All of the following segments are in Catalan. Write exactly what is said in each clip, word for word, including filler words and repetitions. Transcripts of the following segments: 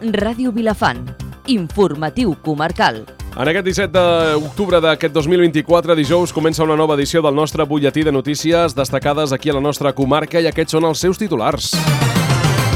Ràdio Vilafant. Informatiu comarcal. En aquest disset d'octubre d'aquest dos mil vint-i-quatre, dijous, comença una nova edició del nostre butlletí de notícies destacades aquí a la nostra comarca i aquests són els seus titulars.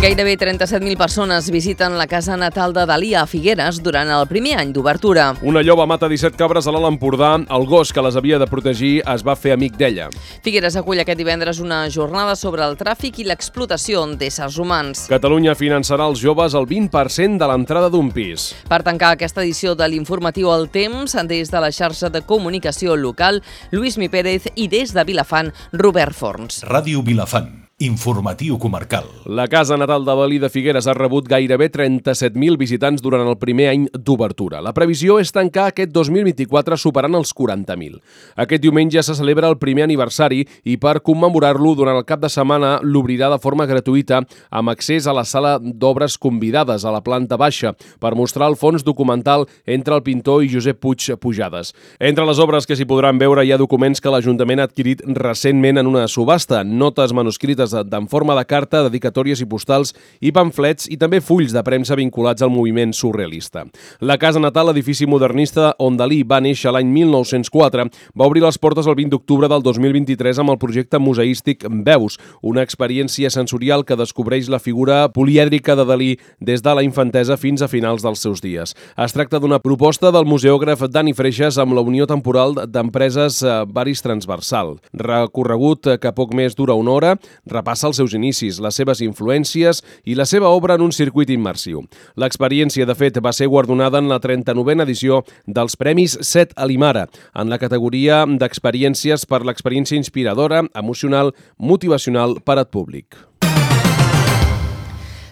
Gairebé trenta-set mil persones visiten la casa natal de Dalí a Figueres durant el primer any d'obertura. Una lloba mata disset cabres a l'Alt Empordà. El gos que les havia de protegir es va fer amic d'ella. Figueres acull aquest divendres una jornada sobre el tràfic i l'explotació d'éssers humans. Catalunya finançarà als joves el vint per cent de l'entrada d'un pis. Per tancar aquesta edició de l'informatiu El Temps, des de la xarxa de comunicació local, Lluís Mi Pérez, i des de Vilafant, Robert Forns. Ràdio Vilafant. Informatiu comarcal. La casa natal de Dalí de Figueres ha rebut gairebé trenta-set mil visitants durant el primer any d'obertura. La previsió és tancar aquest dos mil vint-i-quatre superant els quaranta mil. Aquest diumenge se celebra el primer aniversari i per commemorar-lo durant el cap de setmana l'obrirà de forma gratuïta amb accés a la sala d'obres convidades a la planta baixa per mostrar el fons documental entre el pintor i Josep Puig Pujades. Entre les obres que s'hi podran veure hi ha documents que l'Ajuntament ha adquirit recentment en una subhasta, notes manuscrites en forma de carta, dedicatòries i postals i pamflets i també fulls de premsa vinculats al moviment surrealista. La casa natal, edifici modernista on Dalí va néixer l'any mil nou-cents quatre, va obrir les portes el vint d'octubre del dos mil vint-i-tres amb el projecte museístic Veus, una experiència sensorial que descobreix la figura polièdrica de Dalí des de la infantesa fins a finals dels seus dies. Es tracta d'una proposta del museògraf Dani Freixas amb la Unió Temporal d'Empreses Baris Transversal. Recorregut que poc més dura una hora, repassa els seus inicis, les seves influències i la seva obra en un circuit immersiu. L'experiència, de fet, va ser guardonada en la trenta-novena edició dels Premis Set Alimara, en la categoria d'experiències per l'experiència inspiradora, emocional, motivacional per al públic.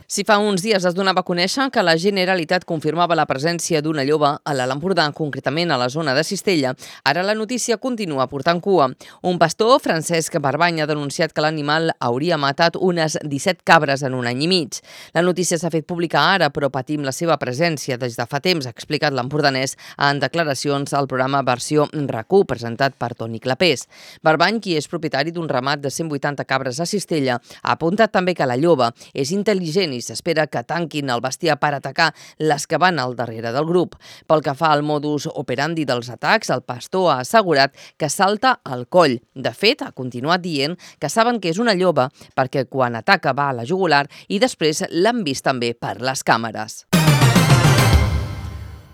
Si fa uns dies es donava a conèixer que la Generalitat confirmava la presència d'una lloba a l'Alt Empordà, concretament a la zona de Cistella, ara la notícia continua portant cua. Un pastor, Francesc Barbany, ha denunciat que l'animal hauria matat unes disset cabres en un any i mig. La notícia s'ha fet pública ara, però patim la seva presència des de fa temps, ha explicat l'empordanès en declaracions al programa Versió RAC u, presentat per Toni Clapés. Barbany, qui és propietari d'un ramat de cent vuitanta cabres a Cistella, ha apuntat també que la lloba és intel·ligent i s'espera que tanquin el bestiar per atacar les que van al darrere del grup. Pel que fa al modus operandi dels atacs, el pastor ha assegurat que salta al coll. De fet, ha continuat dient que saben que és una lloba perquè quan ataca va a la jugular i després l'han vist també per les càmeres.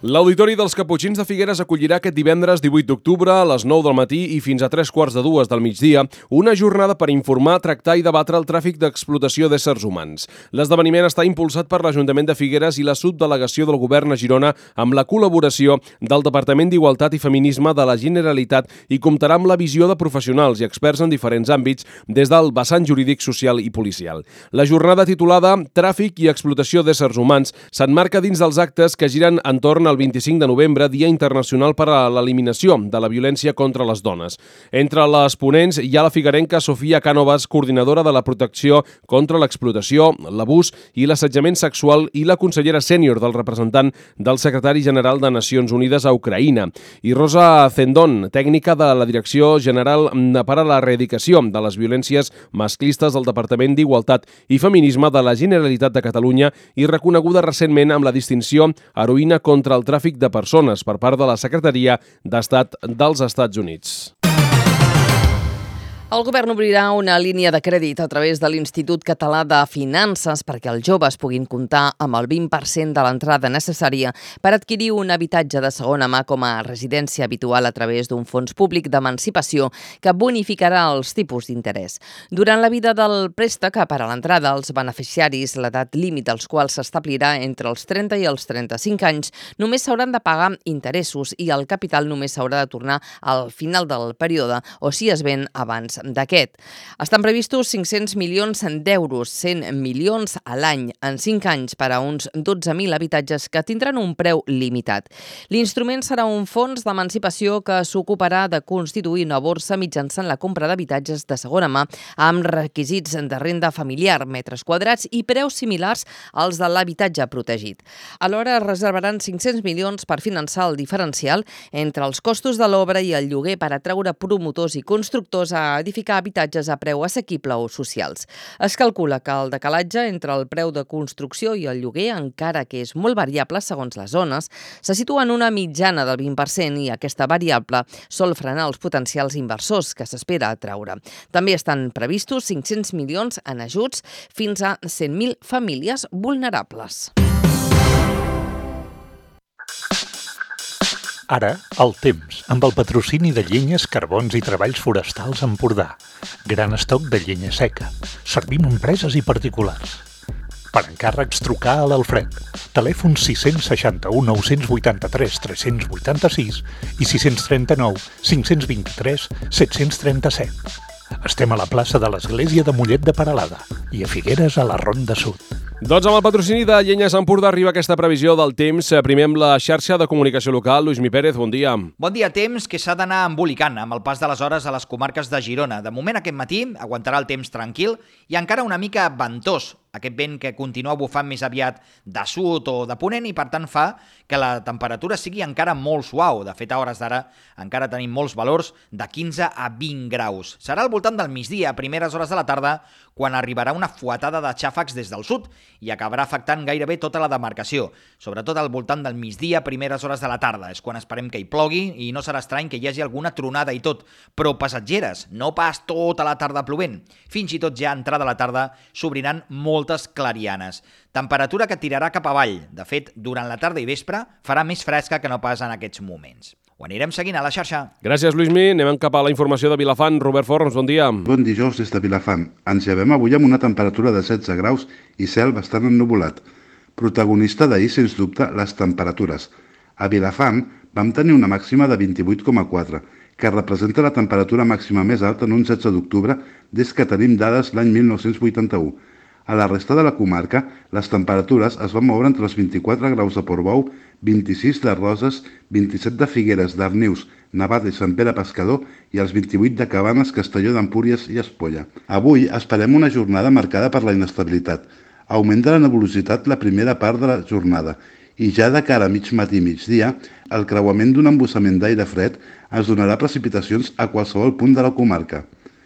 L'Auditori dels Caputxins de Figueres acollirà aquest divendres divuit d'octubre a les nou del matí i fins a tres quarts de dues del migdia una jornada per informar, tractar i debatre el tràfic d'explotació d'éssers humans. L'esdeveniment està impulsat per l'Ajuntament de Figueres i la subdelegació del Govern a Girona amb la col·laboració del Departament d'Igualtat i Feminisme de la Generalitat i comptarà amb la visió de professionals i experts en diferents àmbits des del vessant jurídic, social i policial. La jornada titulada Tràfic i explotació d'éssers humans s'emmarca dins dels actes que giren entorn al el vint-i-cinc de novembre, Dia Internacional per a l'Eliminació de la Violència contra les Dones. Entre les ponents hi ha la figuerenca Sofia Cànovas, coordinadora de la protecció contra l'explotació, l'abús i l'assetjament sexual i la consellera sènior del representant del secretari general de Nacions Unides a Ucraïna, i Rosa Zendón, tècnica de la Direcció General per a la Erradicació de les Violències Masclistes del Departament d'Igualtat i Feminisme de la Generalitat de Catalunya i reconeguda recentment amb la distinció Heroïna contra el tràfic de persones per part de la Secretaria d'Estat dels Estats Units. El govern obrirà una línia de crèdit a través de l'Institut Català de Finances perquè els joves puguin comptar amb el vint per cent de l'entrada necessària per adquirir un habitatge de segona mà com a residència habitual a través d'un fons públic d'emancipació que bonificarà els tipus d'interès. Durant la vida del préstec, per a l'entrada, els beneficiaris, l'edat límit als quals s'establirà entre els trenta i els trenta-cinc anys, només s'hauran de pagar interessos i el capital només s'haurà de tornar al final del període o si es ven abans d'aquest. Estan previstos cinc-cents milions d'euros, cent milions a l'any en cinc anys per a uns dotze mil habitatges que tindran un preu limitat. L'instrument serà un fons d'emancipació que s'ocuparà de constituir una borsa mitjançant la compra d'habitatges de segona mà amb requisits de renda familiar, metres quadrats i preus similars als de l'habitatge protegit. Alhora es reservaran cinc-cents milions per finançar el diferencial entre els costos de l'obra i el lloguer per atraure promotors i constructors a edificar habitatges a preu assequible o socials. Es calcula que el decalatge entre el preu de construcció i el lloguer, encara que és molt variable segons les zones, se situa en una mitjana del vint per cent i aquesta variable sol frenar els potencials inversors que s'espera atraure. També estan previstos cinc-cents milions en ajuts fins a cent mil famílies vulnerables. Ara, el temps, amb el patrocini de Llenyes, Carbons i Treballs Forestals Empordà. Gran estoc de llenya seca. Servim a empreses i particulars. Per encàrrecs, trucar a l'Alfred. Telèfon sis seixanta u nou vuitanta tres tres vuitanta sis i sis trenta nou cinc vint tres set trenta set. Estem a la plaça de l'Església de Mollet de Peralada i a Figueres, a la Ronda Sud. Doncs amb el patrocini de Llenyes Empordà arriba aquesta previsió del temps. Primer amb la xarxa de comunicació local. Luismi Pérez, bon dia. Bon dia, temps que s'ha d'anar embolicant amb el pas de les hores a les comarques de Girona. De moment aquest matí aguantarà el temps tranquil i encara una mica ventós. Aquest vent que continua bufant més aviat de sud o de ponent i per tant fa que la temperatura sigui encara molt suau. De fet, a hores d'ara encara tenim molts valors de quinze a vint graus. Serà al voltant del migdia, a primeres hores de la tarda, quan arribarà una fuetada de xàfecs des del sud i acabarà afectant gairebé tota la demarcació. Sobretot al voltant del migdia, primeres hores de la tarda. És quan esperem que hi plogui i no serà estrany que hi hagi alguna tronada i tot, però passatgeres, no pas tota la tarda plovent. Fins i tot ja a entrada a la tarda s'obriran moltes clarianes. Temperatura que tirarà cap avall. De fet, durant la tarda i vespre farà més fresca que no pas en aquests moments. Ho anirem seguint a la xarxa. Gràcies, Luismi. Anem cap a la informació de Vilafant. Robert Forns, bon dia. Bon dijous des de Vilafant. Ens llevem avui amb una temperatura de setze graus i cel bastant ennuvolat. Protagonista d'ahir, sens dubte, les temperatures. A Vilafant vam tenir una màxima de vint-i-vuit coma quatre, que representa la temperatura màxima més alta en un setze d'octubre des que tenim dades l'any mil nou-cents vuitanta-u. A la resta de la comarca, les temperatures es van moure entre els vint-i-quatre graus de Portbou, vint-i-sis de Roses, vint-i-set de Figueres, Darnius, Navata i Sant Pere Pescador i els vint-i-vuit de Cabanes, Castelló d'Empúries i Espolla. Avui esperem una jornada marcada per la inestabilitat. Augment de la nebulositat la primera part de la jornada i ja de cara a mig matí i migdia, el creuament d'un embussament d'aire fred ens donarà precipitacions a qualsevol punt de la comarca.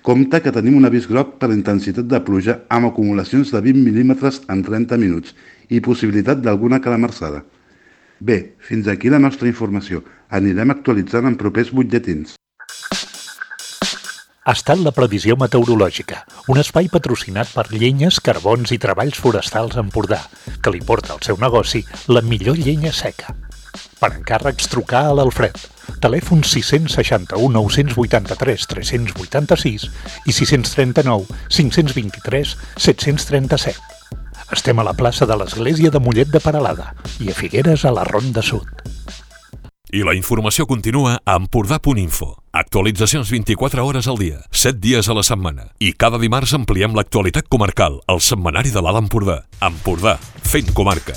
Compte que tenim un avís groc per intensitat de pluja amb acumulacions de vint mil·límetres en trenta minuts i possibilitat d'alguna calamarsada. Bé, fins aquí la nostra informació. Anirem actualitzant en propers butlletins. Ha estat la previsió meteorològica, un espai patrocinat per Llenyes, Carbons i Treballs Forestals Empordà, que li porta al seu negoci la millor llenya seca. Per encàrrecs, trucar a l'Alfred. Telèfon sis seixanta u nou vuitanta tres tres vuitanta sis i sis trenta nou cinc vint tres set trenta set. Estem a la plaça de l'Església de Mollet de Peralada i a Figueres, a la Ronda Sud. I la informació continua a empordà punt info. Actualitzacions vint-i-quatre hores al dia, set dies a la setmana. I cada dimarts ampliem l'actualitat comarcal al setmanari de l'Alt Empordà. Empordà, fent comarca.